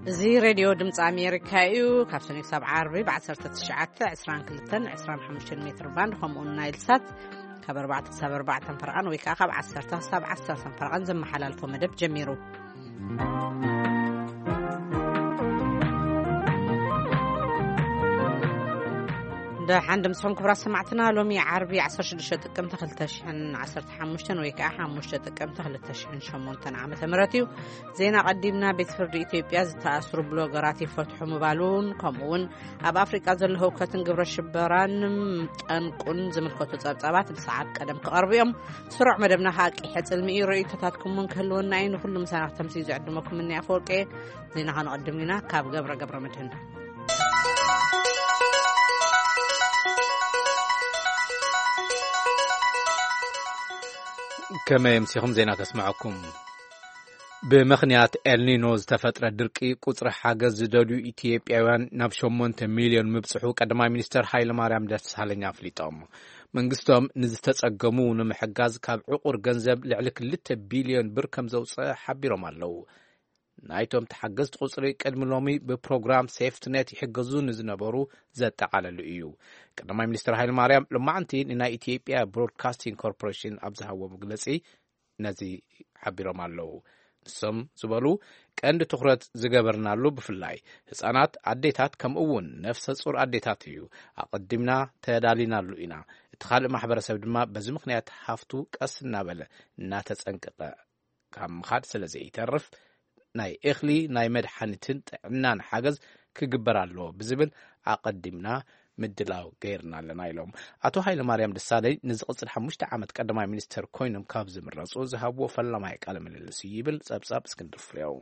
እዚ ሬድዮ ድምፂ ኣሜሪካ እዩ። ካብ ሰኒ ክሳብ ዓርቢ ብ19፣ 22፣ 25 ሜትር ባንድ፣ ከምኡውን ናይል ሳት ካብ ኣርባዕተ ክሳብ ኣርባዕተ ፈረቓን ወይ ከዓ ካብ ዓሰርተ ክሳብ ዓሰርተ ፈረቓን ዘመሓላልፎ መደብ ጀሚሩ። ደሓን ድምፅኹም ክቡራት ሰማዕትና። ሎሚ ዓርቢ 16 ጥቅምቲ 2015 ወይ ከዓ 5 ጥቅምቲ 2008 ዓመተ ምህረት እዩ። ዜና ቀዲምና። ቤት ፍርዲ ኢትዮጵያ ዝተኣስሩ ብሎገራት ይፈትሑ ምባሉን ከምኡ እውን ኣብ ኣፍሪቃ ዘሎ ህውከትን ግብረ ሽበራን ጠንቁን ዝምልከቱ ጸብጻባት ብሰዓት ቀደም ክቐርቡ እዮም። ስሩዕ መደብና ከዓ ቂሐ ጽልሚ እዩ። ርእይቶታትኩም እውን ክህልወና እዩ። ንኩሉ ምሳና ክተምስዩ ዝዕድመኩም እኒ ኣፈወርቂ። ዜና ከነቐድም ኢና ካብ ገብረ ገብረ መድህን። ከመይ ኣምሲኹም? ዜና ከስምዐኩም። ብምኽንያት ኤልኒኖ ዝተፈጥረ ድርቂ ቁጽሪ ሓገዝ ዝደልዩ ኢትዮጵያውያን ናብ 8 ሚልዮን ምብጽሑ ቀዳማይ ሚኒስተር ሃይለማርያም ደሳለኝ ኣፍሊጦም። መንግስቶም ንዝተጸገሙ ንምሕጋዝ ካብ ዕቑር ገንዘብ ልዕሊ 2 ቢልዮን ብር ከም ዘውጽአ ሓቢሮም ኣለዉ። ናይቶም ተሓገዝቲ ቁጽሪ ቅድሚ ሎሚ ብፕሮግራም ሴፍትኔት ይሕገዙ ንዝነበሩ ዘጠቓለሉ እዩ። ቀዳማይ ሚኒስተር ሃይለማርያም ሎማዕንቲ ንናይ ኢትዮጵያ ብሮድካስቲንግ ኮርፖሬሽን ኣብ ዝሃቦ መግለጺ ነዚ ሓቢሮም ኣለዉ። ንሶም ዝበሉ ቀንዲ ትኹረት ዝገበርናሉ ብፍላይ ህጻናት፣ ኣዴታት ከምኡ እውን ነፍሰ ጹር ኣዴታት እዩ። ኣቐዲምና ተዳሊናሉ ኢና። እቲ ካልእ ማሕበረሰብ ድማ በዚ ምኽንያት ሃፍቱ ቀስ እናበለ እናተጸንቀቐ ካብ ምኻድ ስለ ዘይተርፍ ናይ እኽሊ ናይ መድሓኒትን ጥዕናን ሓገዝ ክግበር ኣለዎ ብዝብል ኣቐዲምና ምድላው ገይርና ኣለና ኢሎም። ኣቶ ሃይለማርያም ደሳለኝ ንዝቕጽል ሓሙሽተ ዓመት ቀዳማይ ሚኒስተር ኮይኖም ካብ ዝምረጹ ዝሃብዎ ፈላማይ ቃለ ምልልስ እዩ ይብል ጸብጻብ እስክንድር ፍሬው።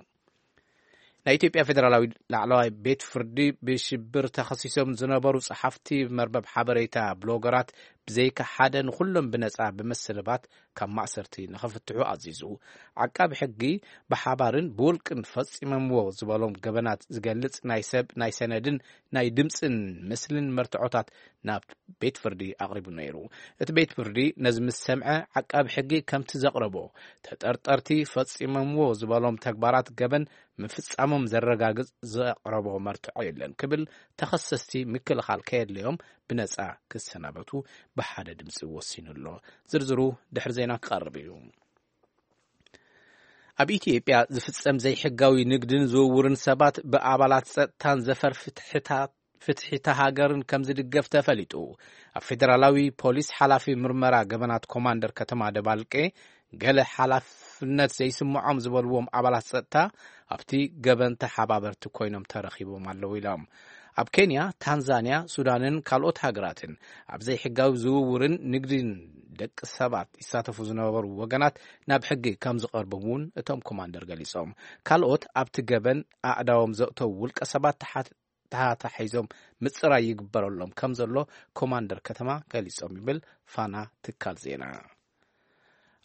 ናይ ኢትዮጵያ ፌደራላዊ ላዕለዋይ ቤት ፍርዲ ብሽብር ተኸሲሶም ዝነበሩ ጸሓፍቲ መርበብ ሓበሬታ ብሎገራት ብዘይካ ሓደ ንኹሎም ብነጻ ብምስልባት ካብ ማእሰርቲ ንኽፍትሑ ኣዚዙ። ዓቃቢ ሕጊ ብሓባርን ብውልቅን ፈጺሞምዎ ዝበሎም ገበናት ዝገልጽ ናይ ሰብ፣ ናይ ሰነድን ናይ ድምጽን ምስልን መርትዖታት ናብ ቤት ፍርዲ ኣቕሪቡ ነይሩ። እቲ ቤት ፍርዲ ነዚ ምስ ሰምዐ ዓቃቢ ሕጊ ከምቲ ዘቕረቦ ተጠርጠርቲ ፈጺሞምዎ ዝበሎም ተግባራት ገበን ምፍጻሞም ዘረጋግጽ ዘቕረቦ መርትዖ የለን ክብል ተኸሰስቲ ምክልኻል ከየድለዮም ብነጻ ክሰናበቱ ብሓደ ድምጺ ወሲኑ ኣሎ። ዝርዝሩ ድሕሪ ዜና ክቐርብ እዩ። ኣብ ኢትዮጵያ ዝፍጸም ዘይሕጋዊ ንግድን ዝውውርን ሰባት ብኣባላት ጸጥታን ዘፈር ፍትሕታት ፍትሒታ ሃገርን ከም ዝድገፍ ተፈሊጡ። ኣብ ፌደራላዊ ፖሊስ ሓላፊ ምርመራ ገበናት ኮማንደር ከተማ ደባልቄ ገለ ሓላፍነት ዘይስምዖም ዝበልዎም ኣባላት ጸጥታ ኣብቲ ገበን ተሓባበርቲ ኮይኖም ተረኺቦም ኣለዉ ኢሎም። ኣብ ኬንያ፣ ታንዛንያ፣ ሱዳንን ካልኦት ሃገራትን ኣብ ዘይሕጋዊ ዝውውርን ንግድን ደቂ ሰባት ይሳተፉ ዝነበሩ ወገናት ናብ ሕጊ ከም ዝቐርቡ እውን እቶም ኮማንደር ገሊጾም። ካልኦት ኣብቲ ገበን ኣእዳዎም ዘእተዉ ውልቀ ሰባት ተሓት-፣ ተታሒዞም ምጽራይ ይግበረሎም ከም ዘሎ ኮማንደር ከተማ ገሊጾም ይብል ፋና ትካል ዜና።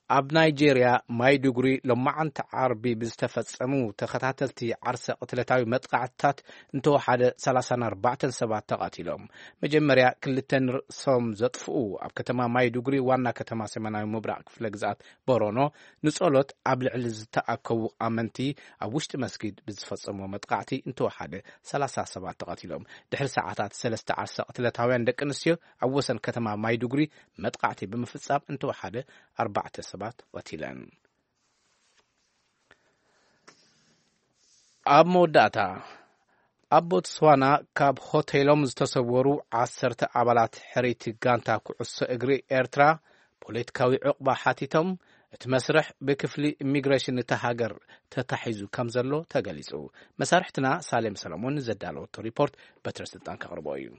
ኣብ ናይጄርያ ማይዱጉሪ ሎማዓንቲ ዓርቢ ብዝተፈጸሙ ተኸታተልቲ ዓርሰ ቅትለታዊ መጥቃዕትታት እንተወሓደ 34 ሰባት ተቐቲሎም። መጀመርያ ክልተ ንርእሶም ዘጥፍኡ ኣብ ከተማ ማይዱጉሪ ዋና ከተማ ሰሜናዊ ምብራቕ ክፍለ ግዝኣት ቦሮኖ ንጸሎት ኣብ ልዕሊ ዝተኣከቡ ኣመንቲ ኣብ ውሽጢ መስጊድ ብዝፈጸሞ መጥቃዕቲ እንተወሓደ 30 ሰባት ተቐቲሎም። ድሕሪ ሰዓታት ሰለስተ ዓርሰ ቅትለታውያን ደቂ ኣንስትዮ ኣብ ወሰን ከተማ ማይዱጉሪ መጥቃዕቲ ብምፍጻም እንተወሓደ ኣርባዕተ ሰባት ቀቲለን። ኣብ መወዳእታ፣ ኣብ ቦትስዋና ካብ ሆቴሎም ዝተሰወሩ ዓሰርተ ኣባላት ሕርይቲ ጋንታ ኩዕሶ እግሪ ኤርትራ ፖለቲካዊ ዕቑባ ሓቲቶም፣ እቲ መስርሕ ብክፍሊ ኢሚግሬሽን እታ ሃገር ተታሒዙ ከም ዘሎ ተገሊጹ። መሳርሕትና ሳሌም ሰለሞን ዘዳለወቶ ሪፖርት በትረ ስልጣን ከቕርቦ እዩ።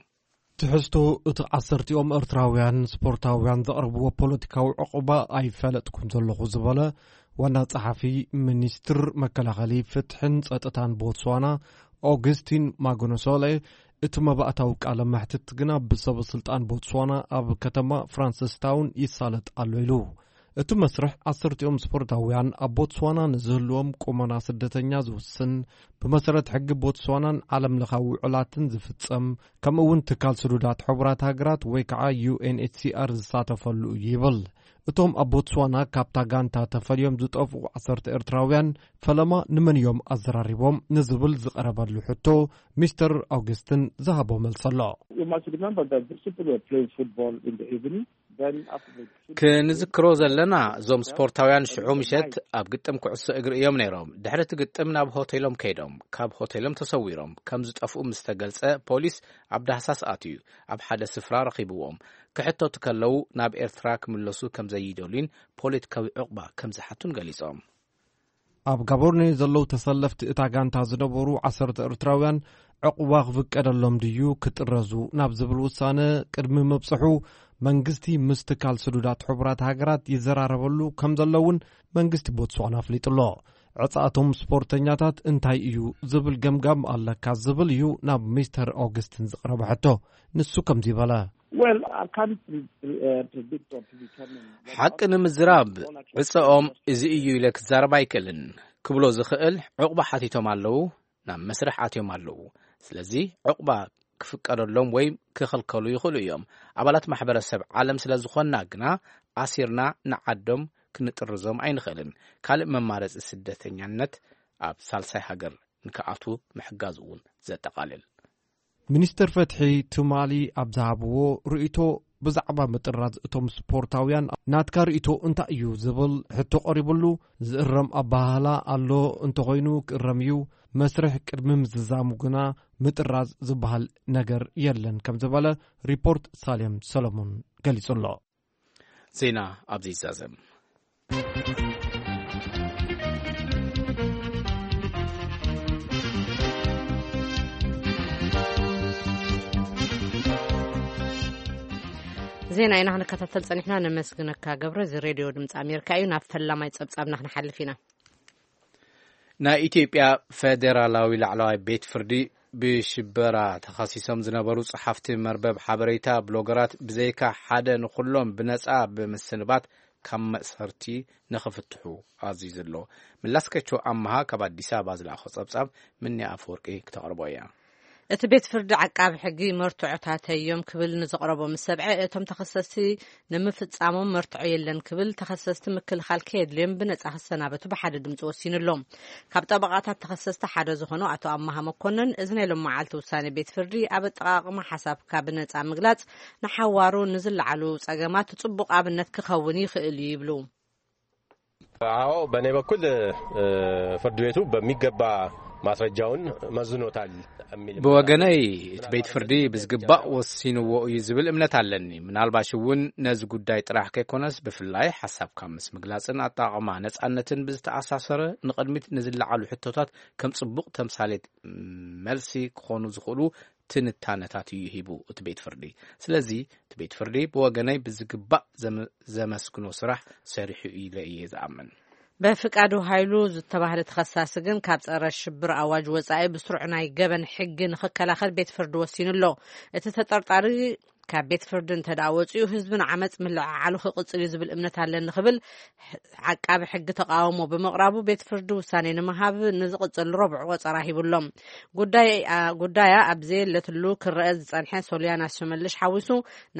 ትሕዝቶ እቲ ዓሰርቲኦም ኤርትራውያን ስፖርታውያን ዘቕረብዎ ፖለቲካዊ ዕቑባ ኣይፈለጥኩን ዘለኹ ዝበለ ዋና ጸሓፊ ሚኒስትር መከላኸሊ፣ ፍትሕን ጸጥታን ቦትስዋና ኦግስቲን ማጎኖሶሌ፣ እቲ መባእታዊ ቃለ መሕትት ግና ብሰበ ስልጣን ቦትስዋና ኣብ ከተማ ፍራንሲስታውን ይሳለጥ ኣሎ ኢሉ። እቲ መስርሕ ዓሰርቲኦም ስፖርታውያን ኣብ ቦትስዋና ንዝህልዎም ቁመና ስደተኛ ዝውስን፣ ብመሰረት ሕጊ ቦትስዋናን ዓለም ለኻዊ ውዕላትን ዝፍጸም፣ ከምኡ እውን ትካል ስዱዳት ሕቡራት ሃገራት ወይ ከዓ ዩ ኤን ኤች ሲ ኣር ዝሳተፈሉ እዩ ይብል። እቶም ኣብ ቦትስዋና ካብታ ጋንታ ተፈልዮም ዝጠፍኡ ዓሰርተ ኤርትራውያን ፈለማ ንመን እዮም ኣዘራሪቦም ንዝብል ዝቐረበሉ ሕቶ፣ ሚስተር ኣውግስትን ዝሃቦ መልሲ ኣሎ። You must remember that these people were playing football in the evening. Then after the ክንዝክሮ ዘለና፣ እዞም ስፖርታውያን ሽዑ ምሸት ኣብ ግጥም ኩዕሶ እግሪ እዮም ነይሮም። ድሕሪ እቲ ግጥም ናብ ሆቴሎም ከይዶም፣ ካብ ሆቴሎም ተሰዊሮም ከም ዝጠፍኡ ምስ ተገልጸ፣ ፖሊስ ኣብ ዳህሳስ ኣትዩ ኣብ ሓደ ስፍራ ረኺብዎም። ክሕተቱ ከለዉ ናብ ኤርትራ ክምለሱ ከም ዘይደልዩን ፖለቲካዊ ዕቑባ ከም ዝሓቱን ገሊጾም። ኣብ ጋቦርኔ ዘለዉ ተሰለፍቲ እታ ጋንታ ዝነበሩ ዓሰርተ ኤርትራውያን ዕቑባ ክፍቀደሎም ድዩ ክጥረዙ ናብ ዝብል ውሳነ ቅድሚ ምብጽሑ፣ መንግስቲ ምስ ትካል ስዱዳት ሕቡራት ሃገራት ይዘራረበሉ ከም ዘለውን መንግስቲ ቦትስዋና ኣፍሊጡ ኣሎ። ዕጻቶም ስፖርተኛታት እንታይ እዩ ዝብል ገምጋም ኣለካ ዝብል እዩ ናብ ሚስተር ኦግስትን ዝቐረበ ሕቶ። ንሱ ከምዚ በለ። Well, I can't pre- pre- uh, predict or determine what ሓቂ happens. ንምዝራብ All I can ዕጸኦም say is እዚ እዩ ኢለ ክዛረብ ኣይክእልን። ክብሎ ዝኽእል ዕቑባ ሓቲቶም ኣለዉ፣ ናብ መስርሕ ኣትዮም ኣለዉ። ስለዚ ዕቑባ ክፍቀደሎም ወይ ክኽልከሉ ይኽእሉ እዮም። ኣባላት ማሕበረሰብ ዓለም ስለ ዝኾንና ግና ኣሲርና ንዓዶም ክንጥርዞም ኣይንኽእልን። ካልእ መማረፂ ስደተኛነት ኣብ ሳልሳይ ሃገር ንክኣትዉ ምሕጋዝ እውን ዘጠቓልል። ሚኒስትር ፍትሒ ትማሊ ኣብ ዝሃብዎ ርእይቶ፣ ብዛዕባ ምጥራዝ እቶም ስፖርታውያን ናትካ ርእይቶ እንታይ እዩ ዝብል ሕቶ ቀሪብሉ፣ ዝእረም ኣበሃህላ ኣሎ፣ እንተኾይኑ ክእረም እዩ፣ መስርሕ ቅድሚ ምዝዛሙ ግና ምጥራዝ ዝበሃል ነገር የለን ከም ዝበለ ሪፖርት ሳሌም ሰሎሞን ገሊጹ ኣሎ። ዜና ኣብዚ ይዛዘም። ዜና ኢና ክንከታተል ጸኒሕና። ነመስግነካ ገብረ። እዚ ሬድዮ ድምፂ ኣሜሪካ እዩ። ናብ ፈላማይ ጸብጻብና ክንሓልፍ ኢና። ናይ ኢትዮጵያ ፌዴራላዊ ላዕለዋይ ቤት ፍርዲ ብሽበራ ተኸሲሶም ዝነበሩ ጸሓፍቲ መርበብ ሓበሬታ፣ ብሎገራት፣ ብዘይካ ሓደ ንኹሎም ብነጻ ብምስንባት ካብ መእሰርቲ ንኽፍትሑ ኣዚዙ ኣሎ። መለስካቸው ኣምሃ ካብ ኣዲስ ኣበባ ዝለኣኾ ጸብጻብ ምንያ ኣፈወርቂ ክተቕርቦ እያ። እቲ ቤት ፍርዲ ዓቃቢ ሕጊ መርትዖታተይ እዮም ክብል ንዘቕረቦ ምስ ሰብዐ፣ እቶም ተኸሰስቲ ንምፍጻሞም መርትዖ የለን ክብል፣ ተኸሰስቲ ምክልኻል ከየድልዮም ብነጻ ክሰናበቱ ብሓደ ድምፂ ወሲኑ ኣሎ። ካብ ጠበቓታት ተኸሰስቲ ሓደ ዝኾኑ ኣቶ ኣማሃ መኮነን፣ እዚ ናይ ሎም መዓልቲ ውሳኔ ቤት ፍርዲ ኣብ ኣጠቓቕማ ሓሳብካ ብነጻ ምግላጽ ንሓዋሩ ንዝለዓሉ ጸገማት ጽቡቕ ኣብነት ክኸውን ይኽእል እዩ ይብሉ። አዎ፣ በእኔ በኩል፣ እ፣ ፍርድ ቤቱ በሚገባ ማስረጃውን መዝኖታል የሚል ብወገነይ፣ እቲ ቤት ፍርዲ ብዝግባእ ወሲንዎ እዩ ዝብል እምነት ኣለኒ። ምናልባሽ እውን ነዚ ጉዳይ ጥራሕ ከይኮነስ፣ ብፍላይ ሓሳብካ ምስ ምግላጽን ኣጠቓቕማ ነጻነትን ብዝተኣሳሰረ፣ ንቕድሚት ንዝለዓሉ ሕቶታት ከም ጽቡቕ ተምሳሌት መልሲ ክኾኑ ዝኽእሉ ትንታነታት እዩ ሂቡ እቲ ቤት ፍርዲ። ስለዚ እቲ ቤት ፍርዲ ብወገነይ ብዝግባእ ዘመ-፣ ዘመስግኖ ስራሕ ሰሪሑ ኢለ እየ ዝኣምን። በፍቃዱ ሃይሉ ዝተባህለ ተኸሳሲ ግን ካብ ጸረ ሽብር ኣዋጅ ወጻኢ ብስሩዕ ናይ ገበን ሕጊ ንኽከላኸል ቤት ፍርዲ ወሲኑ ኣሎ። እቲ ተጠርጣሪ ካብ ቤት ፍርዲ እንተ ደኣ ወጺኡ፣ ህዝቢ ንዓመጽ ምልዕዓሉ ክቕጽል እዩ ዝብል እምነት ኣለኒ ክብል ዓቃቢ ሕጊ ተቃውሞ ብምቕራቡ፣ ቤት ፍርዲ ውሳኔ ንምሃብ ንዝቕጽል ረቡዕ ቆጸራ ሂቡ ኣሎ። ጉዳይ-፣ ኣ-፣ ጉዳያ ኣብ ዘየለትሉ ክረአ ዝጸንሐ ሶልያና ሽመልሽ ሓዊሱ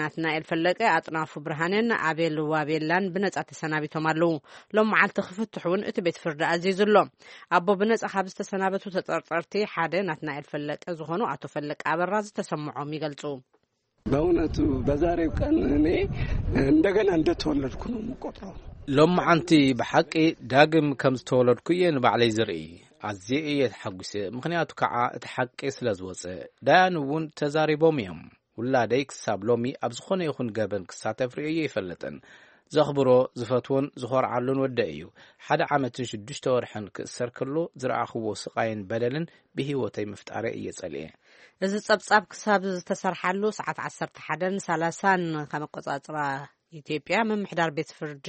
ናትናኤል ፈለቀ፣ ኣጥናፉ ብርሃኔን ኣቤል ዋቤላን ብነጻ ተሰናቢቶም ኣለዉ። ሎም መዓልቲ ክፍትሑ እውን እቲ ቤት ፍርዲ ኣዚዙ ኣሎ። ኣቦ ብነጻ ካብ ዝተሰናበቱ ተጠርጠርቲ ሓደ ናትናኤል ፈለቀ ዝኾኑ ኣቶ ፈለቀ ኣበራ ዝተሰምዖም ይገልጹ። በእውነቱ በዛሬው ቀን እኔ እንደገና እንደተወለድኩ ነው የምቆጥረው። ሎማዓንቲ ብሓቂ ዳግም ከም ዝተወለድኩ እየ ንባዕለይ ዝርኢ። ኣዝየ እየ ተሓጒሰ፣ ምኽንያቱ ከዓ እቲ ሓቂ ስለ ዝወፀ። ዳያን እውን ተዛሪቦም እዮም። ውላደይ ክሳብ ሎሚ ኣብ ዝኾነ ይኹን ገበን ክሳተፍ ርእየ ኣይፈልጥን። ዘኽብሮ፣ ዝፈትዎን ዝኾርዓሉን ወደይ እዩ። ሓደ ዓመትን ሽዱሽተ ወርሕን ክእሰር ከሎ ዝረኣኽዎ ስቓይን በደልን ብህይወተይ ምፍጣረይ እየ ጸሊኤ። እዚ ጸብጻብ ክሳብ ዝተሰርሓሉ ሰዓት ዓሰርተ ሓደን ሰላሳን ከም ኣቆጻጽራ ኢትዮጵያ ምምሕዳር ቤት ፍርዲ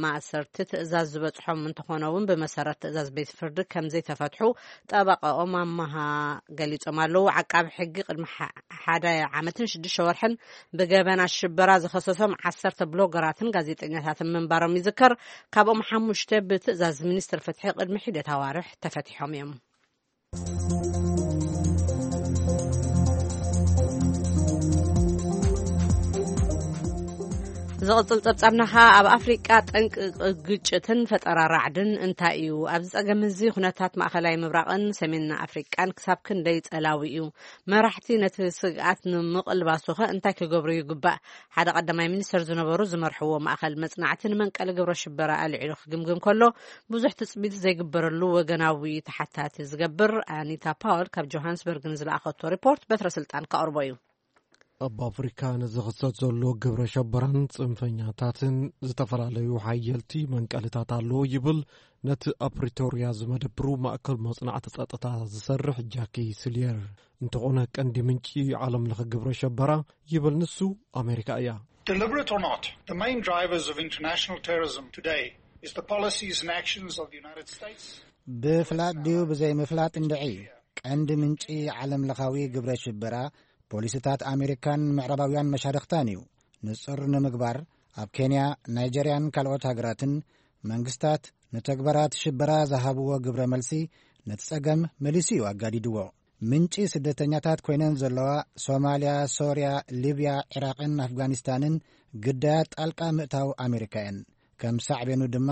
ማእሰርቲ ትእዛዝ ዝበጽሖም እንተኾነ እውን፣ ብመሰረት ትእዛዝ ቤት ፍርዲ ከም ዘይተፈትሑ ጠበቃኦም ኣመሃ ገሊጾም ኣለዉ። ዓቃቢ ሕጊ ቅድሚ ሓ-፣ ሓደ ዓመትን ሽዱሽተ ወርሕን ብገበናት ሽበራ ዝኸሰሶም ዓሰርተ ብሎገራትን ጋዜጠኛታትን ምንባሮም ይዝከር። ካብኦም ሓሙሽተ ብትእዛዝ ሚኒስትር ፍትሒ ቅድሚ ሒደት ኣዋርሕ ተፈቲሖም እዮም። ዝቕጽል ጸብጻብና ኸኣ ኣብ ኣፍሪቃ ጠንቂ ግጭትን ፈጠራ ራዕድን እንታይ እዩ? ኣብዚ ጸገም እዚ ኩነታት ማእኸላይ ምብራቕን ሰሜን ኣፍሪቃን ክሳብ ክንደይ ጸላዊ እዩ? መራሕቲ ነቲ ስግኣት ንምቕልባሱኸ እንታይ ክገብሩ ይግባእ? ሓደ ቀዳማይ ሚኒስተር ዝነበሩ ዝመርሕዎ ማእኸል መጽናዕቲ ንመንቀሊ ግብረ ሽበራ ኣልዒሉ ክግምግም ከሎ፣ ብዙሕ ትጽቢት ዘይግበረሉ ወገናዊ ተሓታቲ ዝገብር ኣኒታ ፓወል ካብ ጆሃንስበርግ ንዝለኣኸቶ ሪፖርት በትረ ስልጣን ከቕርቦ እዩ። ኣብ ኣፍሪካ ንዝኽሰት ዘሎ ግብረ ሸበራን ጽንፈኛታትን ዝተፈላለዩ ሓየልቲ መንቀልታት ኣለዎ ይብል ነቲ ኣብ ፕሪቶርያ ዝመደብሩ ማእከል መጽናዕቲ ጸጥታ ዝሰርሕ ጃኪ ስልየር። እንተኾነ ቀንዲ ምንጪ ዓለም ለኸ ግብረ ሸበራ ይብል ንሱ ኣሜሪካ እያ። Deliberate or not, the main drivers of international terrorism today is the policies and actions of the United States. ብፍላጥ ድዩ ብዘይምፍላጥ እንድዒ፣ ቀንዲ ምንጪ ዓለም ለኻዊ ግብረ ሽበራ ፖሊሲታት ኣሜሪካን ምዕራባውያን መሻርኽታን እዩ። ንጹር ንምግባር፣ ኣብ ኬንያ፣ ናይጀርያን ካልኦት ሃገራትን መንግስታት ንተግባራት ሽበራ ዝሃብዎ ግብረ መልሲ ነቲ ጸገም መሊሱ እዩ ኣጋዲድዎ። ምንጪ ስደተኛታት ኮይነን ዘለዋ ሶማልያ፣ ሶርያ፣ ሊብያ፣ ዒራቕን ኣፍጋኒስታንን ግዳያት ጣልቃ ምእታው ኣሜሪካ እየን። ከም ሳዕቤኑ ድማ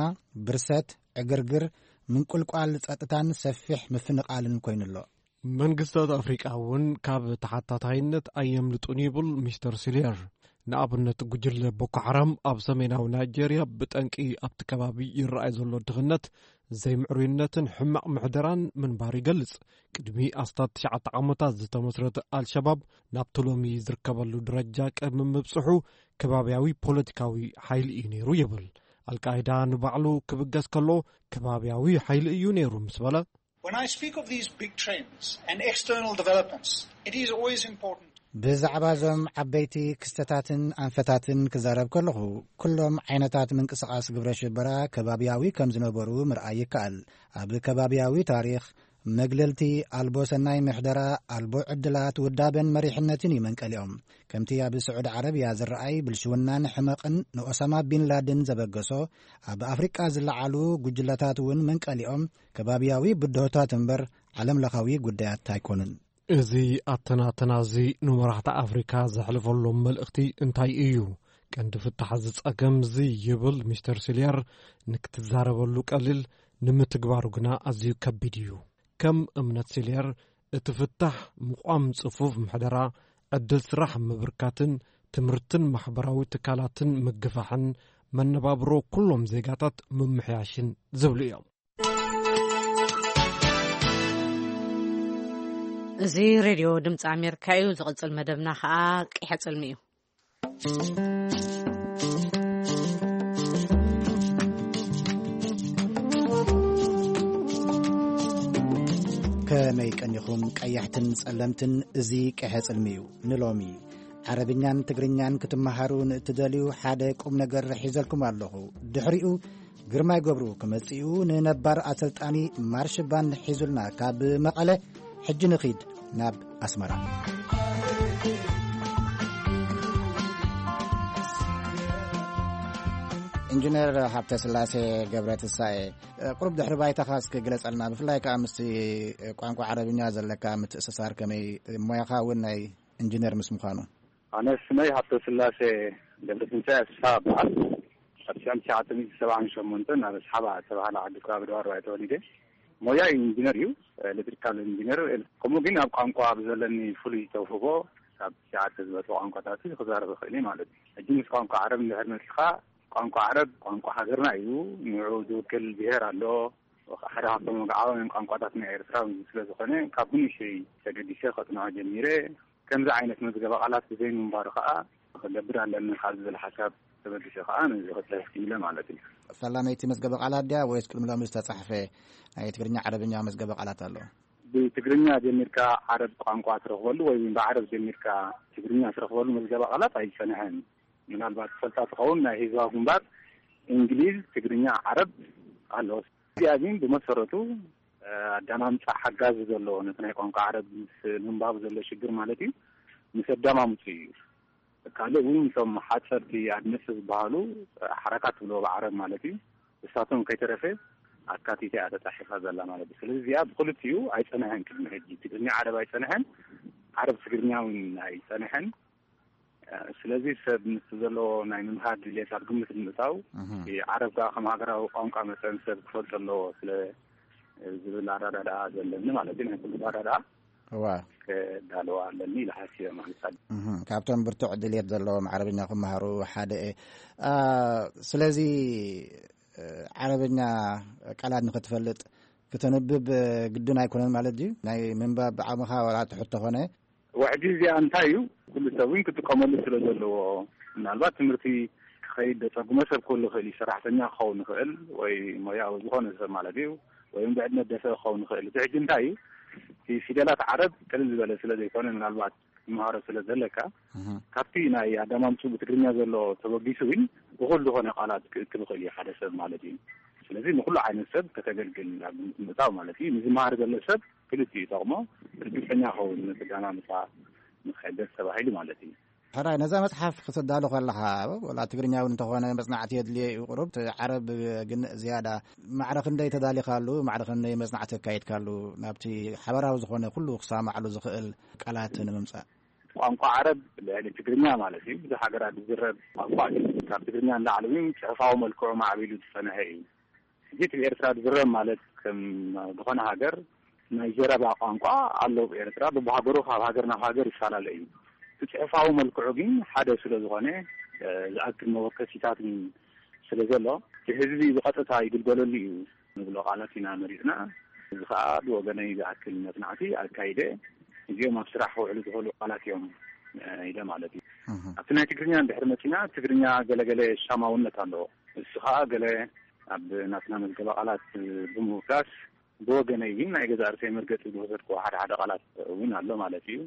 ብርሰት፣ ዕግርግር፣ ምንቁልቋል ጸጥታን ሰፊሕ ምፍንቓልን ኮይኑ ኣሎ። መንግስታት ኣፍሪቃ እውን ካብ ተሓታታይነት ኣየምልጡን ይብል ሚስተር ሲልየር። ንኣብነት፣ ጉጅለ ቦኮ ሓራም ኣብ ሰሜናዊ ናይጄርያ ብጠንቂ ኣብቲ ከባቢ ይረኣይ ዘሎ ድኽነት፣ ዘይምዕሩይነትን ሕማቕ ምሕደራን ምንባሩ ይገልጽ። ቅድሚ ኣስታት ትሽዓተ ዓመታት ዝተመስረተ ኣልሸባብ ናብቲ ሎሚ ዝርከበሉ ደረጃ ቅድሚ ምብጽሑ ከባብያዊ ፖለቲካዊ ሓይሊ እዩ ነይሩ ይብል። ኣልቃይዳ ንባዕሉ ክብገስ ከሎ ከባብያዊ ሓይሊ እዩ ነይሩ ምስ በለ፣ When I speak of these big trends and external developments, it is always important. ብዛዕባ እዞም ዓበይቲ ክስተታትን ኣንፈታትን ክዛረብ ከለኹ፣ ኩሎም ዓይነታት ምንቅስቓስ ግብረ ሽበራ ከባብያዊ ከም ዝነበሩ ምርኣይ ይከኣል። ኣብ ከባብያዊ ታሪኽ፣ መግለልቲ ኣልቦ ሰናይ ምሕደራ፣ ኣልቦ ዕድላት፣ ውዳበን መሪሕነትን እዩ መንቀሊኦም። ከምቲ ኣብ ስዑዲ ዓረብያ ዝረኣይ ብልሽውናን ሕመቕን ንኦሳማ ቢን ላድን ዘበገሶ፣ ኣብ ኣፍሪቃ ዝለዓሉ ጉጅለታት እውን መንቀሊኦም ከባብያዊ ብድሆታት እምበር ዓለም ለኻዊ ጉዳያት ኣይኮኑን። እዚ ኣተናተና እዚ ንመራሕቲ ኣፍሪካ ዘሕልፈሎም መልእኽቲ እንታይ እዩ? ቀንዲ ፍታሕ እዚ ጸገም እዚ ይብል ሚስተር ሲልየር፣ ንክትዛረበሉ ቀሊል፣ ንምትግባሩ ግና ኣዝዩ ከቢድ እዩ። ከም እምነት ሲልየር፣ እቲ ፍታሕ ምቋም ጽፉፍ ምሕደራ፣ ዕድል ስራሕ ምብርካትን ትምህርትን ማሕበራዊ ትካላትን ምግፋሕን መነባብሮ ኩሎም ዜጋታት ምምሕያሽን ዝብሉ እዮም። እዚ ሬድዮ ድምፂ ኣሜሪካ እዩ። ዝቕፅል መደብና ከዓ ቂሐ ፅልሚ እዩ። ከመይ ቀኒኹም ቀያሕትን ጸለምትን? እዚ ቀሐ ጽልሚ እዩ። ንሎሚ ዓረብኛን ትግርኛን ክትመሃሩ ንእትደልዩ ሓደ ቁም ነገር ሒዘልኩም ኣለኹ። ድሕሪኡ ግርማይ ገብሩ ክመጽኡ ንነባር ኣሰልጣኒ ማርሽ ባንድ ሒዙልና ካብ መቐለ። ሕጂ ንኺድ ናብ ኣስመራ። ኢንጂነር ሃብተ ስላሴ ገብረ ትንሳኤ፣ ቁሩብ ድሕሪ ባይታኻ እስኪ ግለጸልና፣ ብፍላይ ከኣ ምስቲ ቋንቋ ዓረብኛ ዘለካ ምትእስሳር ከመይ፣ ሞያኻ እውን ናይ ኢንጂነር ምስ ምዃኑ። ኣነ ስመይ ሃብተስላሴ ገብረትንሳኤ ኣስፍሃ እበሃል። ኣብ ሽሕን ትሽዓተ ሚእቲ ሰብዓን ሸሞንተን ኣብ ኣስሓባ ዝተባህለ ዓዲ ከባቢ ደባር ባይቶ ተወሊደ። ሞያይ ኢንጂነር እዩ፣ ኤሌክትሪካል ኢንጂነር። ከምኡ ግን ኣብ ቋንቋ ብዘለኒ ፍሉይ ተውህቦ ካብ ትሽዓተ ዝበልሑ ቋንቋታት ክዛረብ እኽእል እየ ማለት እዩ። ሕጂ ምስ ቋንቋ ዓረብ እንድሕር መጺኻ፣ ቋንቋ ዓረብ ቋንቋ ሃገርና እዩ። ንዕኡ ዝውክል ብሄር ኣሎ። ሓደ ካብቶም ወግዓውያን ቋንቋታት ናይ ኤርትራ እውን ስለ ዝኾነ፣ ካብ ብንእሽተይ ተገዲሰ ከጽንዖ ጀሚረ። ከምዚ ዓይነት መዝገበ ቃላት ብዘይ ምንባሩ ከኣ ክገብር ኣለኒ ካብ ዝብል ሓሳብ ተበጊሰ ከኣ ነዚ ክጽሕፍ ክኢለ ማለት እዩ። ፈላመይቲ መዝገበ ቃላት ድያ ወይስ ቅድሚ ሎሚ ዝተጻሕፈ ናይ ትግርኛ ዓረብኛ መዝገበ ቃላት ኣሎ? ብትግርኛ ጀሚርካ ዓረብ ቋንቋ ትረኽበሉ ወይ ብዓረብ ጀሚርካ ትግርኛ ትረኽበሉ መዝገበ ቃላት ኣይጸንሐን። ምናልባት ትፈልጣ ትኸውን፣ ናይ ህዝባዊ ግንባር እንግሊዝ፣ ትግርኛ፣ ዓረብ ኣሎ። እዚኣ ግን ብመሰረቱ ኣዳማምፃ ሓጋዚ ዘለዎ ነቲ ናይ ቋንቋ ዓረብ ምስ ምንባቡ ዘሎ ሽግር ማለት እዩ፣ ምስ ኣዳማምፁ እዩ። ካልእ እውን እቶም ሓፀርቲ ኣድመፅ ዝበሃሉ ሓረካት ትብሎ ብዓረብ ማለት እዩ። እሳቶም ከይተረፈ ኣካቲታ እያ ተፃሒፋ ዘላ ማለት እዩ። ስለዚ እዚኣ ብክልቲኡ ኣይፀንሐን፣ ቅድሚ ሕጂ ትግርኛ ዓረብ ኣይፀንሐን፣ ዓረብ ትግርኛ እውን ኣይፀንሐን። ስለዚ ሰብ ምስ ዘለዎ ናይ ምምሃር ድሌት ኣብ ግምት ንምእታው፣ ዓረብ ከዓ ከም ሃገራዊ ቋንቋ መጠን ሰብ ክፈልጦ ኣለዎ ስለ ዝብል ኣረዳድኣ ዘለኒ ማለት እዩ። ናይ ኩሉ ኣረዳድኣ እዋ። ከዳለዋ ኣለኒ ኢለ ሓሲበ ማለት እዩ። እህ፣ ካብቶም ብርቱዕ ድልየት ዘለዎም ዓረብኛ ክመሃሩ ሓደ እየ። አ፣ ስለዚ፣ እ፣ ዓረብኛ ቃላት ንኽትፈልጥ ክተንብብ ግድን ኣይኮነን ማለት ድዩ? ናይ ምንባብ ዓቕምኻ ዋላ ትሑት ተኾነ? ወሕጂ እዚኣ እንታይ እዩ? ኩሉ ሰብ እውን ክጥቀመሉ ስለ ዘለዎ፣ ምናልባት ትምህርቲ ክኸይድ ደጸጉመ ሰብ ክህሉ ይኽእል እዩ። ሰራሕተኛ ክኸውን ይኽእል ወይ ሞያዊ ዝኾነ ሰብ ማለት እዩ፣ ወይ እውን ብዕድመ ደሰ ክኸውን ይኽእል። እቲ ሕጂ እንታይ እዩ? እቲ ፊደላት ዓረብ ቅልል ዝበለ ስለ ዘይኮነ፣ ምናልባት ክትመሃሮ ስለ ዘለካ፣ እህ። ካብቲ ናይ ኣዳማምፁ ብትግርኛ ዘሎ ተበጊሱ እውን እኹል ዝኾነ ቃላት ክእክብ ይኽእል እዩ ሓደ ሰብ ማለት እዩ። ስለዚ ንኹሉ ዓይነት ሰብ ከተገልግል ኣብ ግምት ምእታው ማለት እዩ። ንዝመሃር ዘሎ ሰብ ክልቲኡ ይጠቕሞ፣ ርግጸኛ ኸውን ነቲ ኣዳማምፃ ንክሕደስ ተባሂሉ ማለት እዩ። ሕራይ፣ ነዛ መጽሓፍ ክትዳሎ ከለኻ፣ ወላ ትግርኛ እውን እንተኾነ መጽናዕቲ የድልዮ እዩ ቁሩብ፣ እቲ ዓረብ ግን ዝያዳ። ማዕረ ክንደይ ተዳሊኻሉ? ማዕረ ክንደይ መጽናዕቲ ኣካይድካሉ? ናብቲ ሓበራዊ ዝኾነ ኩሉ ክሰማማዓሉ ዝኽእል ቃላት ንምምጻእ። ቋንቋ ዓረብ ልዕሊ ትግርኛ ማለት እዩ፣ ብዙሕ ሃገራት ዝዝረብ ቋንቋ እዩ። ካብ ትግርኛ ንላዕሊ እውን ጽሑፋዊ መልክዑ ማዕቢሉ ዝጸንሐ እዩ። ሕጂ እቲ ብኤርትራ ዝዝረብ ማለት ከም ዝኾነ ሃገር ናይ ዘረባ ቋንቋ ኣሎ። ብኤርትራ በብሃገሩ ካብ ሃገር ናብ ሃገር ይፈላለ እዩ። እቲ ጽሑፋዊ መልክዑ ግን ሓደ ስለ ዝኾነ፣ እ፣ ዝኣክል መወከሲታት ግን ስለ ዘሎ፣ እቲ ህዝቢ ብቐጥታ ይግልገለሉ እዩ ንብሎ ቃላት ኢና መሪጽና። እዚ ኸኣ ብወገነይ ዝኣክል መጽናዕቲ ኣካይደ፣ እዚኦም ኣብ ስራሕ ክውዕሉ ዝኽእሉ ቃላት እዮም፣ እ፣ ኢለ ማለት እዩ። እህ። ኣብቲ ናይ ትግርኛ እንድሕር መጺና፣ ትግርኛ ገለገለ ሻማውነት ኣለዎ። እሱ ኸኣ ገለ ኣብ ናትና መዝገበ ቃላት ብምውካስ፣ ብወገነይ ግን ናይ ገዛእ ርእሰይ መርገጺ ዝወሰድክዎ ሓደ ሓደ ቃላት እውን ኣሎ ማለት እዩ።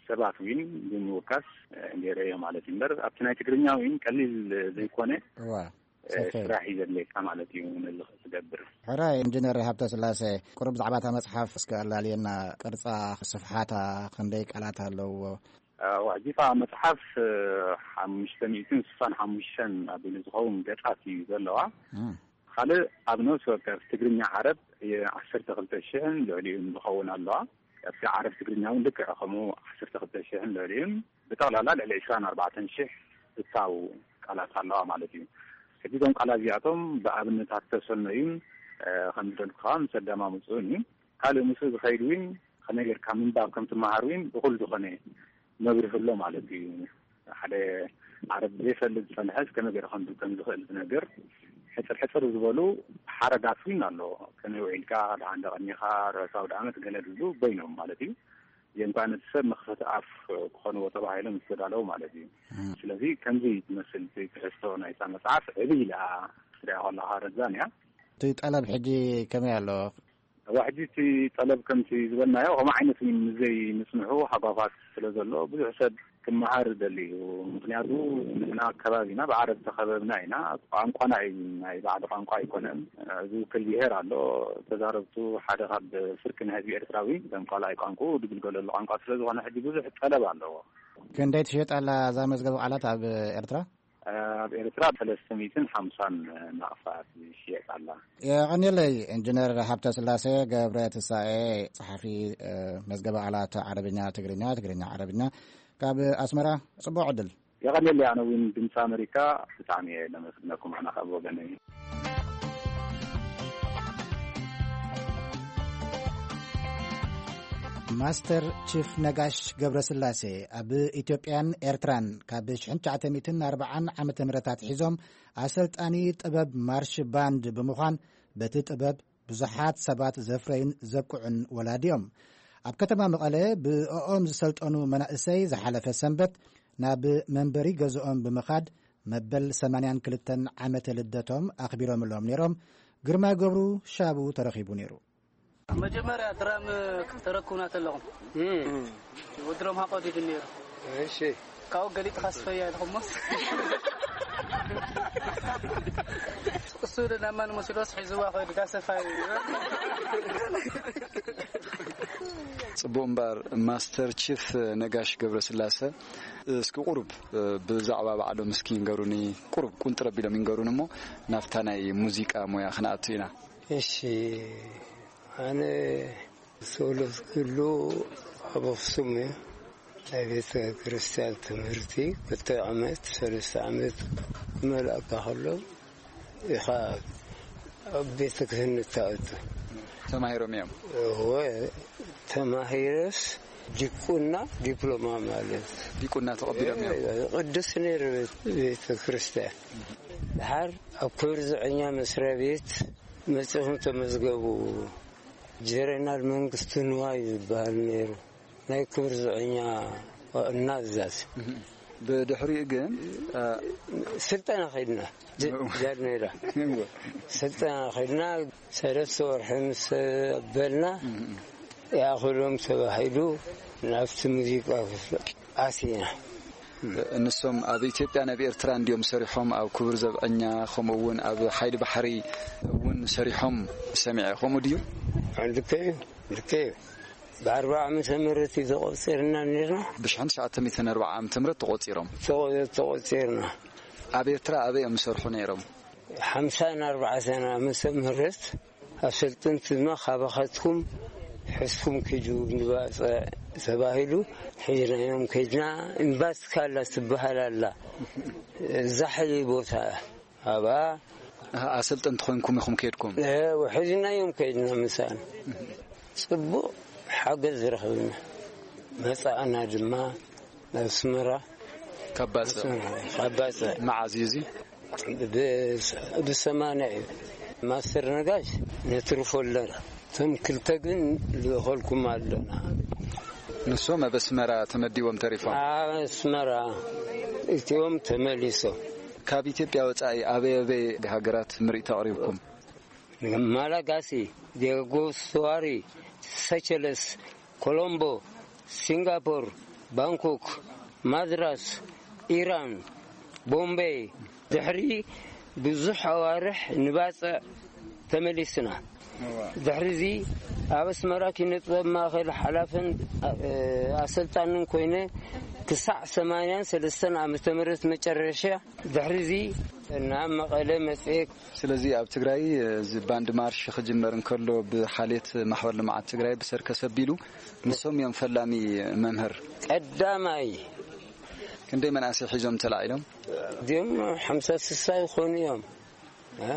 ሰባት እውን ብምውካስ፣ እ፣ ገይረዮ ማለት እዩ። እምበር ኣብቲ ናይ ትግርኛ እውን ቀሊል ዘይኮነ፣ እዋ፣ እ፣ ሰፊሕ። ስራሕ እዩ ዘድልየካ ማለት እዩ ነዚ ክትገብር። ሕራይ ኢንጂነር ሃብተ ስላሴ፣ ቁሩብ ብዛዕባ እታ መጽሓፍ እስከ ኣላልየና፣ ቅርጻ፣ ስፍሓታ፣ ክንደይ ቃላት ኣለዎ? እ፣ ዋሕዚ እታ መጽሓፍ፣ እ፣ ሓሙሽተ ሚእትን ስሳን ሓሙሽተን ኣቢሉ ዝኸውን ገጻት እዩ ዘለዋ። እም። ካልእ ኣብ ነፍሲ ወከፍ ትግርኛ ዓረብ ዓሰርተ ክልተ ሽሕን ልዕሊኡን ዝኸውን ኣለዋ። ኣብቲ ዓረብ ትግርኛ እውን ልክዕ ከምኡ ዓሰርተ ክልተ ሽሕን ልዕሊኡን፣ ብጠቕላላ ልዕሊ ዕስራን ኣርባዕተን ሽሕ ዝታው ቃላት ኣለዋ ማለት እዩ። ሕጂ እዞም ቃላት እዚኣቶም ብኣብነታት ተሰነዩን፣ እ፣ ከም ዝደልኩ ከዓ ምስ ኣዳማምፅኡን እዩ። ካልእ ምስኡ ዝኸይድ እውን ከመይ ጌርካ ምንባብ ከም ትመሃር እውን እኹል ዝኾነ መብርሂ ኣሎ ማለት እዩ። ሓደ ዓረብ ዘይፈልጥ ዝጸንሐስ ከመይ ገይሩ ከንብብ ከም ዝኽእል ዝነግር ሕጽር ሕጽር ዝበሉ ሓረጋት እውን ኣሎ። ከመይ ውዒልካ፣ ደሓን ዶ ቀኒኻ፣ ርሑስ ኣውደ ዓመት ገለ ዝብሉ በይኖም ማለት እዩ። እዚኦም ከኣ ነቲ ሰብ መኽፈቲ ኣፍ ክኾንዎ ተባሂሎም ዝተዳለዉ ማለት እዩ። እም። ስለዚ ከምዚ ትመስል እቲ ትሕዝቶ ናይታ መጽሓፍ ዕብይ ኢላ ክትሪኣ ከለኻ ረዛን እያ። እቲ ጠለብ ሕጂ ከመይ ኣሎ? እዋ፣ ሕጂ እቲ ጠለብ ከምቲ ዝበልናዮ፣ ከምኡ ዓይነት እውን ዘይምጽንሑ ሃጓፋት ስለ ዘሎ፣ ብዙሕ ሰብ ክመሃር ደሊ እዩ። ምኽንያቱ ንሕና ከባቢና ብዓረብ ተኸበብና ኢና። ቋንቋና እዩ፣ ናይ ባዕዲ ቋንቋ ኣይኮነን። ዝውክል ብሄር ኣሎ። ተዛረብቱ ሓደ ካብ ፍርቂ ናይ ህዝቢ ኤርትራ እውን ከም ካልኣይ ቋንቋኡ ዝግልገለሉ ቋንቋ ስለ ዝኾነ፣ ሕጂ ብዙሕ ጠለብ ኣለዎ። ክንደይ ትሽየጥ ኣላ እዛ መዝገብ ቃላት ኣብ ኤርትራ? ኣብ ኤርትራ ሰለስተ ሚእትን ሓምሳን ናቕፋ ትሽየጥ ኣላ። የቐንየለይ ኢንጂነር ሃብተ ስላሴ ገብረ ትንሳኤ፣ ጸሓፊ፣ እ፣ መዝገበ ቃላት ዓረብኛ ትግርኛ፣ ትግርኛ ዓረብኛ፣ ካብ ኣስመራ። ጽቡቕ ዕድል። የቐንየለይ፣ ኣነ እውን ድምፂ ኣመሪካ ብጣዕሚ እየ ለመስግነኩም፣ ኣነ ካብ ወገነይ። ማስተር ቺፍ ነጋሽ ገብረስላሴ ኣብ ኢትዮጵያን ኤርትራን ካብ ሽሕን ትሽዓተ ሚእትን ኣርባዓን ዓመተ ምህረት ኣትሒዞም ኣሰልጣኒ ጥበብ ማርሽ ባንድ ብምዃን በቲ ጥበብ ብዙሓት ሰባት ዘፍረዩን ዘብቅዑን ወላዲ እዮም። ኣብ ከተማ መቐለ ብእኦም ዝሰልጠኑ መናእሰይ ዝሓለፈ ሰንበት ናብ መንበሪ ገዝኦም ብምኻድ መበል ሰማንያን ክልተን ዓመተ ልደቶም ኣኽቢሮምሎም ነይሮም። ግርማ ገብሩ ሻቡ ተረኺቡ ነይሩ። መጀመርያ ድራም ተረክቡና ተለኹም፣ እም። ወድሮም ሃቆት ይድን ነይሩ። እሺ። ካብኡ ገሊጥካ ስፈያ ኢልኩሞ። እሱ ደናማን መሲሎስ ሒዝዋ ኸይዱ ዳሰፋ እዩ። ጽቡቕ እምበር፣ ማስተር ቺፍ ነጋሽ ገብረስላሰ፣ እስኪ ቁሩብ ብዛዕባ ባዕሎም እስኪ ይንገሩኒ። ቁሩብ ቁንጥር ኣቢሎም ይንገሩኒ እሞ ናብታ ናይ ሙዚቃ ሞያ ክንኣቱ ኢና። እሺ፣ ኣነ ተወለድኩሉ ኣብ ኣኽሱም እዩ። ናይ ቤተ ክርስቲያን ትምህርቲ ክልተ ዓመት፣ ሰለስተ ዓመት ክመልኣካ ከሎ ኢኻ ኣብ ቤተ ክህነት ትኣቱ። ተማሂሮም እዮም። እወ፣ ተማሂረስ ዲቁና ዲፕሎማ ማለት። ዲቁና ተቐቢሎም እዮም። ቅዱስ ነይሩ ቤተ ክርስቲያን። ድሓር ኣብ ክብሪ ዘበኛ መስሪያ ቤት መጺኹም ተመዝገቡ። ጀነራል መንግስቱ ንዋይ ዝበሃል ነይሩ። ናይ ክብሪ ዘበኛ ዋና ኣዛዚ። ብድሕሪኡ ግን፣ እ፣ ስልጠና ኸይድና። ጀ-፣ ጃድ ሜዳ። እዎ። ስልጠና ኸይድና፣ ሰለስተ ወርሒ ምስ በልና፣ ይኣኽሎም ተባሂሉ ናብቲ ሙዚቃ ክፍሊ ኣቲና። ንሶም ኣብ ኢትዮጵያ፣ ናብ ኤርትራ እንድዮም ሰሪሖም፣ ኣብ ክቡር ዘብዐኛ፣ ከምኡ እውን ኣብ ሓይሊ ባሕሪ እውን ሰሪሖም ሰሚዐ። ከምኡ ድዩ? ልክዕ እዩ፣ ልክዕ እዩ። ብ ኣርብዓ ዓመተ ምህረት እዩ ተቖጺርና ነርና። ብ ሽሕን ትሽዓተ ሚእትን ኣርብዓ ዓመተ ምህረት ተቖጺሮም። ተቖ-፣ ተቖጺርና። ኣብ ኤርትራ ኣበይ እዮም ዝሰርሑ ነይሮም? ሓምሳን ኣርባዕተን ዓመተ ምህረት ኣሰልጠንቲ ድማ ካባኻትኩም ሕዝኩም ኪዱ ንባጽዕ ተባሂሉ ሒዝናዮም ከይድና። እምባትካ ኣላ ትበሃል ኣላ። ዛሕሊ ቦታ ኣብኣ። ኣሃ፣ ኣሰልጠንቲ ኮይንኩም ኢኹም ከይድኩም? እ፣ ሒዝናዮም ከይድና ምሳና። ጽቡቕ ሓገዝ ረኽብና። መጻእና ድማ ናብ ኣስመራ። ካብ ባጽዕ? ኣስመራ፣ ካብ ባጽዕ። መዓዝ እዩ እዚ? ብ-፣ ብሰማንያ እዩ። ማስተር ነጋሽ ነትርፎ ኣለና። እቶም ክልተ ግን ልእኸልኩም ኣለና። ንሶም ኣብ ኣስመራ ተመዲቦም ተሪፎም? ኣብ ኣስመራ እቲኦም ተመሊሶም። ካብ ኢትዮጵያ ወጻኢ ኣበይ ኣበይ ሃገራት ምርኢት ኣቕሪብኩም? ማላጋሲ፣ ዲያጎ ስቱዋሪ፣ ሰቸለስ፣ ኮሎምቦ፣ ሲንጋፖር፣ ባንኮክ፣ ማድራስ፣ ኢራን፣ ቦምቤይ። ድሕሪ ብዙሕ ኣዋርሕ ንባጽዕ ተመሊስና። ድሕሪዚ ኣብ ኣስመራ ኪነ ጥበብ ማእከል ሓላፍን፣ እ፣ ኣሰልጣንን ኮይነ ክሳዕ ሰማንያን ሰለስተን ዓመተ ምህረት መጨረሻ። ድሕሪዚ ናብ መቐለ መጽኤ። ስለዚ ኣብ ትግራይ፣ እ፣ እዚ ባንድ ማርሽ ክጅመር እንከሎ ብሓልየት ማሕበር ልምዓት ትግራይ ብሰርከስ ኣቢሉ ንሶም እዮም ፈላሚ መምህር። ቀዳማይ። ክንደይ መናእሰይ ሒዞም ተላዒሎም? እዚኦም ሓምሳ ስሳ ይኾኑ እዮም። እ?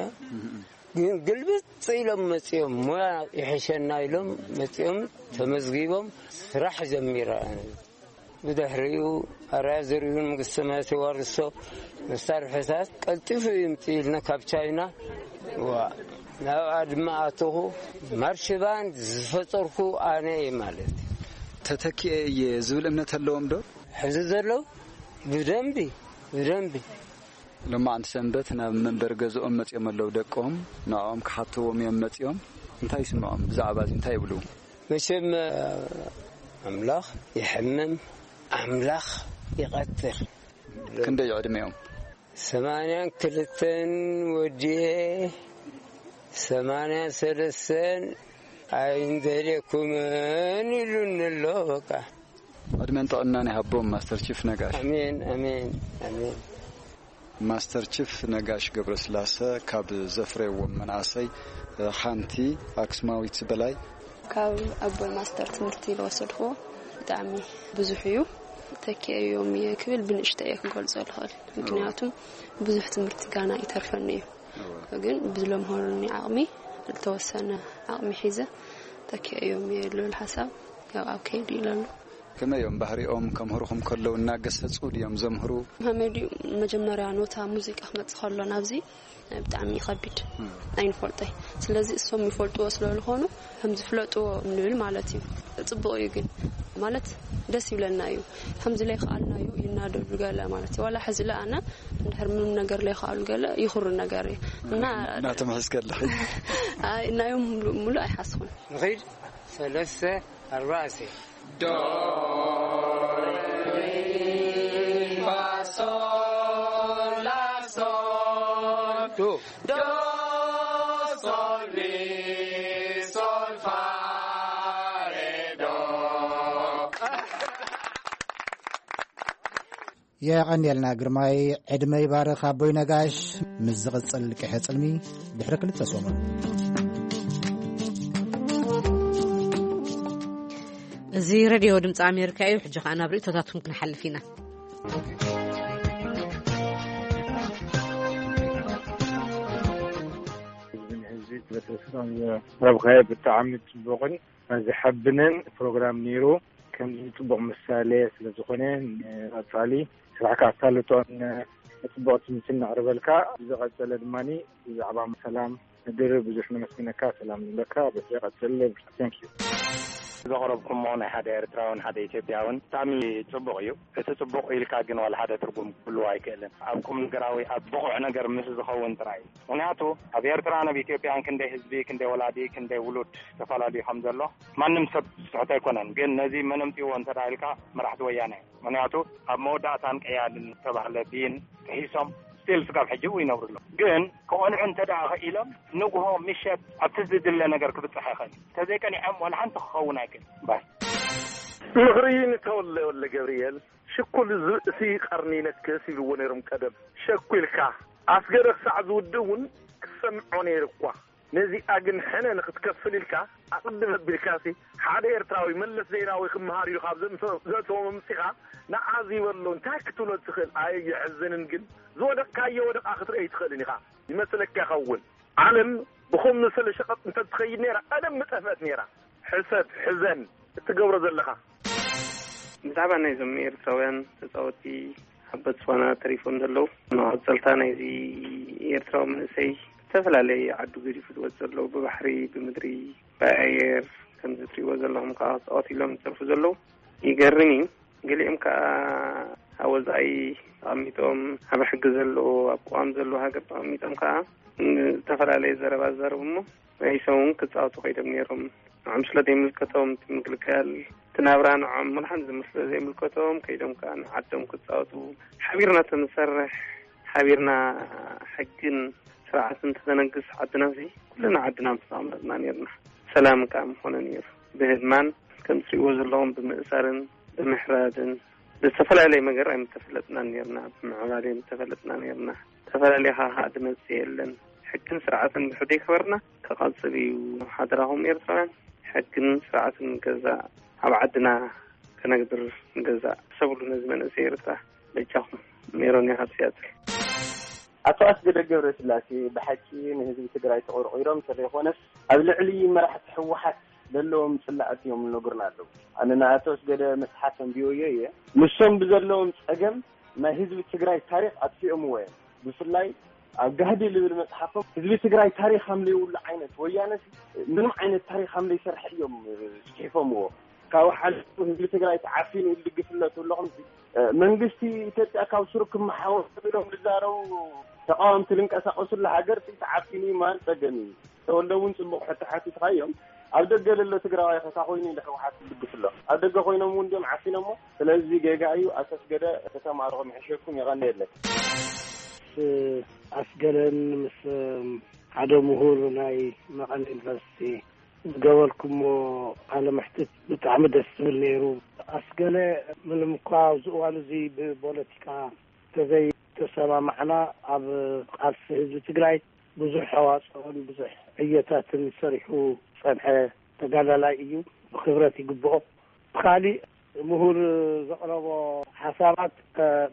ግን ግልብጥ ኢሎም መጺኦም፣ ሞያ ይሕሸና ኢሎም መጺኦም ተመዝጊቦም ስራሕ ጀሚራ። ብድሕሪኡ ኣርኣያ ዘርኢሁን መንግስተ ሰማያት የዋርሶ መሳርሕታት ቀልጢፉ ይምጽእ ኢልና ካብ ቻይና፣ ዋ፣ ናብኣ ድማ ኣተኹ። ማርሽ ባንድ ዝፈጠርኩ ኣነ እየ ማለት። ተተኪኤ እየ ዝብል እምነት ኣለዎም ዶ? ሕዚ ዘለዉ ብደንቢ፣ ብደንቢ። ሎማዓንቲ ሰንበት ናብ መንበሪ ገዝኦም መጺኦም ኣለዉ ደቆም። ንዕኦም ክሓትዎም እዮም መጺኦም። እንታይ ይስምዖም? ብዛዕባ እዚ እንታይ ይብሉ? መቸም፣ ኣምላኽ ይሕምም፣ ኣምላኽ ይቐትል። ክንደይ እዩ ዕድሜኦም? ሰማንያን ክልተን ወዲኤ፣ ሰማንያን ሰለስተን ኣይንደልየኩምን ኢሉኒ ኣሎ። በቃ። ዕድመን ጥዕናን ይሃቦም ማስተር ቺፍ ነጋሽ። ኣሜን፣ ኣሜን፣ ኣሜን። ማስተር ቺፍ ነጋሽ ገብረስላሰ ካብ ዘፍረይዎም መናእሰይ ሓንቲ ኣክሱማዊት በላይ። ካብ ኣቦይ ማስተር ትምህርቲ ዝወሰድኩዎ ብጣዕሚ ብዙሕ እዩ። ተኪኤዮም እየ ክብል ብንእሽተይ እየ ክገልጾ ዝኽእል። ምክንያቱ ብዙሕ ትምህርቲ ጋና ይተርፈኒ እዩ። ግን ብዝለምሃሩኒ ዓቕሚ፣ ዝተወሰነ ዓቕሚ ሒዘ ተኪኤዮም እየ ልብል ሓሳብ ያው ኣብ ከይዲ እዩ ዘሎ። ከመይ እዮም ባህሪኦም? ከምህሩኹም ከለዉ እናገሰጹ ድዮም ዘምህሩ? ከመይ ድዩ መጀመርያ ኖታ ሙዚቃ ክመጽእ ከሎ ናብዚ ብጣዕሚ ይኸቢድ። እም። ኣይንፈልጦይ። ስለዚ እሶም ይፈልጥዎ ስለ ዝኾኑ ከም ዝፍለጥዎ ንብል ማለት እዩ። ጽቡቕ እዩ ግን ማለት ደስ ይብለና እዩ። ከምዚ ለይከኣልናዮ ይናደዱ ገለ ማለት እዩ። ዋላ ሕዚ ለኣነ እንድሕር ምንም ነገር ለይከኣሉ ገለ ይኹሩ ነገር እዩ። እና ናቶም ሕዝከለኺ? ኣይ፣ ናዮም ሙሉ-፣ ሙሉ ኣይሓስኹን። ንኺድ ሰለስተ ኣርባዕተ። ዶ Do, sol, mi, sol, fa, re, do. የቐንየልና ግርማይ፣ ዕድመ ይባርኽ ኣቦይ ነጋሽ። ምስ ዝቕጽል ቅሐ ጽልሚ ድሕሪ ክልተ ሰሙን። እዚ ሬድዮ ድምፂ ኣሜሪካ እዩ። ሕጂ ኸዓ ናብ ርእይቶታትኩም ክንሓልፍ ኢና። ህዝቢ ህዝቢ ስለተስፋ ረብኻየ ብጣዕሚ ጽቡቕን ዝሐብንን ፕሮግራም ነይሩ። ከምዚ ጽቡቕ ምሳሌ ስለ ዝኾነ፣ ንቐጻሊ ስራሕካ ኣሳልጦን ጽቡቕ ትምህርቲ እናቕርበልካ፣ ብዝቐጸለ ድማ ብዛዕባ ሰላም ምድሪ ብዙሕ ነመስግነካ። ሰላም ንብለካ። በዚ ቀጽል። Thank you። ዘቕረብኩሞ ናይ ሓደ ኤርትራውን ሓደ ኢትዮጵያውን ብጣዕሚ ጽቡቕ እዩ። እቲ ጽቡቕ ኢልካ ግን ዋላ ሓደ ትርጉም ክህልዎ ኣይክእልን። ኣብ ቁም ነገራዊ፣ ኣብ ብቑዕ ነገር ምስ ዝኸውን ጥራይ እዩ። ምኽንያቱ ኣብ ኤርትራን ኣብ ኢትዮጵያን ክንደይ ህዝቢ፣ ክንደይ ወላዲ፣ ክንደይ ውሉድ ተፈላለዩ ከም ዘሎ ማንም ሰብ ዝስሕቶ ኣይኮነን። ግን ነዚ መን ኣምጺእዎ እንተ ደኣ ኢልካ መራሕቲ ወያነ እዮም። ምኽንያቱ ኣብ መወዳእታን ቀያድን ዝተባህለ ብይን ጥሒሶም ስቲል ስጋብ ሕጂ እውን ይነብሩ ኣለዉ። ግን ክቐንዑ እንተ ደኣ ኸኢሎም ንግሆ ምሸት ኣብቲ ዝድለ ነገር ክብጽሕ ይኽእል እዩ። እንተዘይቀኒዖም ዋላ ሓንቲ ክኸውን ኣይክእል። ባስ። ምኽሪ ንተወለ ወልደ ገብርኤል፣ ሽኩል ዝርእሲ ቀርኒ ይነክስ ይብልዎ ነይሮም ቀደም። ሸኩ ኢልካ ኣስገደ ክሳዕ ዝውድእ እውን ክሰምዖ ነይሩ እኳ። ነዚኣ ግን ሕነ ንኽትከፍል ኢልካ ኣቕድም ኣቢልካሲ ሓደ ኤርትራዊ መለስ ዜናዊ ክመሃር ኢሉ ካብ ዘምሰ-፣ ዘእተዎም ኣምጺኻ ንዓ ዝበሎ እንታይ ክትብሎ ትኽእል? ኣየ የሕዝንን ግን ዝወደቕካዮ ወደቓ ክትርኢ ኣይትኽእልን ኢኻ። ይመስለካ ይኸውን። ዓለም ብኸም ዝመሰለ ሸቐጥ እንተትኸይድ ነይራ ቀደም ምጠፍአት ነይራ። ሕሰብ፣ ሕዘን፣ እትገብሮ ዘለኻ። ብዛዕባ ናይዞም ኤርትራውያን ተጻወትቲ ኣብ ቦትስዋና ተሪፎም ዘለዉ፣ መቐጸልታ ናይዚ ኤርትራዊ መንእሰይ ዝተፈላለየ ዓዱ ገዲፉ ዝወጽእ ዘለዉ፣ ብባሕሪ፣ ብምድሪ፣ ብኣየር፣ ከምዚ ትሪእዎ ዘለኹም ከኣ ተጻወቱ ኢሎም ዝጸርፉ ዘለዉ ይገርም እዩ። ገሊኦም ከኣ ኣብ ወጻኢ ተቐሚጦም፣ ኣብ ሕጊ ዘለዎ፣ ኣብ ቅዋም ዘለዎ ሃገር ተቐሚጦም ከኣ ዝተፈላለየ ዘረባ ዝዛረቡ እሞ፣ መሊሶም እውን ክጻወቱ ከይዶም ነይሮም። ንዖም ስለ ዘይምልከቶም፣ እቲ ምግልጋል፣ እቲ ናብራ ንዖም ምልሓን ዝምስለ ዘይምልከቶም፣ ከይዶም ከኣ ንዓዶም ክጻወቱ፣ ሓቢርና ተንሰርሕ፣ ሓቢርና ሕግን ስርዓትን ተተነግስ ዓድናሲ፣ ኩልና ዓድና ምስተቐመጥና ነይርና። ሰላም ከኣ ምኾነ ነይሩ። ብህድማን ከም ትሪእዎ ዘለኹም ብምእሳርን ብምሕራድን ብዝተፈላለየ መገር ኣይምተፈለጥናን ነይርና። ብምዕባለ ኣይምተፈለጥና ነይርና። ተፈላለየ ኻኻ ድመጽእ የለን። ሕግን ስርዓትን ብሕደ ይክበርና ክቐጽል እዩ። ሓደራኹም ኤርትራውያን፣ ሕግን ስርዓትን ንገዛእ፣ ኣብ ዓድና ከነግብር ንገዛእ። ሰብሉ ነዚ መንእሰይ ኤርትራ በጃኹም። ሜሮን እየ ካብ ሲያትል። ኣቶ ኣስገደ ገብረስላሴ ብሓቂ ንህዝቢ ትግራይ ተቆርቂሮም እንተዘይኮነስ ኣብ ልዕሊ መራሕቲ ህወሓት ዘለዎም ጽላኣት እዮም ዝነግሩና ኣለዉ። ኣነ ንኣቶ ኣስገደ መጽሓፍ ኣንቢበዮ እየ። ንሶም ብዘለዎም ጸገም ናይ ህዝቢ ትግራይ ታሪኽ ኣጥፊኦምዎ እዮም። ብፍላይ ኣብ ጋህዲ ልብል መጽሓፎም ህዝቢ ትግራይ ታሪኽ ከም ዘይብሉ ዓይነት፣ ወያነ ምንም ዓይነት ታሪኽ ከም ዘይሰርሐ እዮም ጽሒፎምዎ። ካብኡ ሓሊፉ ህዝቢ ትግራይ ተዓፊኑ ኢሉ ድግፍለቱ ኣለኹም። መንግስቲ ኢትዮጵያ ካብ ስሩ ክመሓወር ኢሎም ዝዛረቡ ተቃወምቲ ዝንቀሳቀሱሉ ሃገር ተዓፊኑ እዩ ማለት ጸገም እዩ። ተወልደ እውን ጽቡቕ ሕቶ ሓቲትካ እዮም። ኣብ ደገ ለሎ ትግራዋይ ከታ ኮይኑ ንሕወሓት ይድግፍ ኣሎ። ኣብ ደገ ኮይኖም እውን እንዲዮም ዓፊኖሞ። ስለዚ ጌጋ እዩ። ኣቶ ኣስገደ ከተማርኹም ይሕሸኩም። የቐንየለይ። ምስ ኣስገደን ምስ ሓደ ምሁር ናይ መቐለ ዩኒቨርሲቲ ዝገበርኩሞ ቃለ መሕትት ብጣዕሚ ደስ ዝብል ነይሩ። ኣስገለ ምንም እኳ ኣብዚ እዋን እዚ ብፖለቲካ ተዘይተሰማማዕና ኣብ ቃልሲ ህዝቢ ትግራይ ብዙሕ ኣዋፅኦን ብዙሕ ዕዮታትን ሰሪሑ ዝፀንሐ ተጋዳላይ እዩ። ብክብረት ይግብኦ። ብካሊእ ምሁር ዘቕረቦ ሓሳባት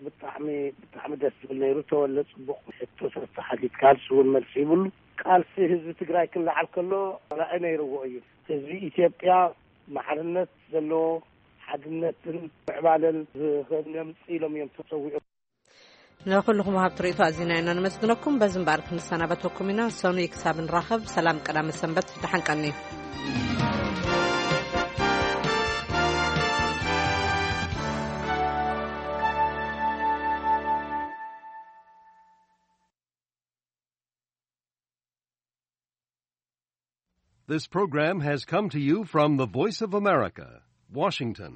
ብጣዕሚ ብጣዕሚ ደስ ዝብል ነይሩ። ተወለ ፅቡቕ ሕቶታት ሓቲትካ፣ ንሱ እውን መልሲ ይብሉ። ቃልሲ ህዝቢ ትግራይ ክለዓል ከሎ ራዒ ነይርዎ እዩ። ህዝቢ ኢትዮጵያ ማዕርነት ዘለዎ ሓድነትን ምዕባለን ዝኸምፅእ ኢሎም እዮም ተፀዊዖም። ንኹልኹም ወሃብቲ ርእይቶ ኣዚና ኢና ነመስግነኩም። በዚ እምበኣር ክንሰናበተኩም ኢና። ሰኑይ ክሳብ ንራኸብ ሰላም ቀዳመ ሰንበት፣ ደሓን ቀኒ። This program has come to you from the Voice of America, Washington.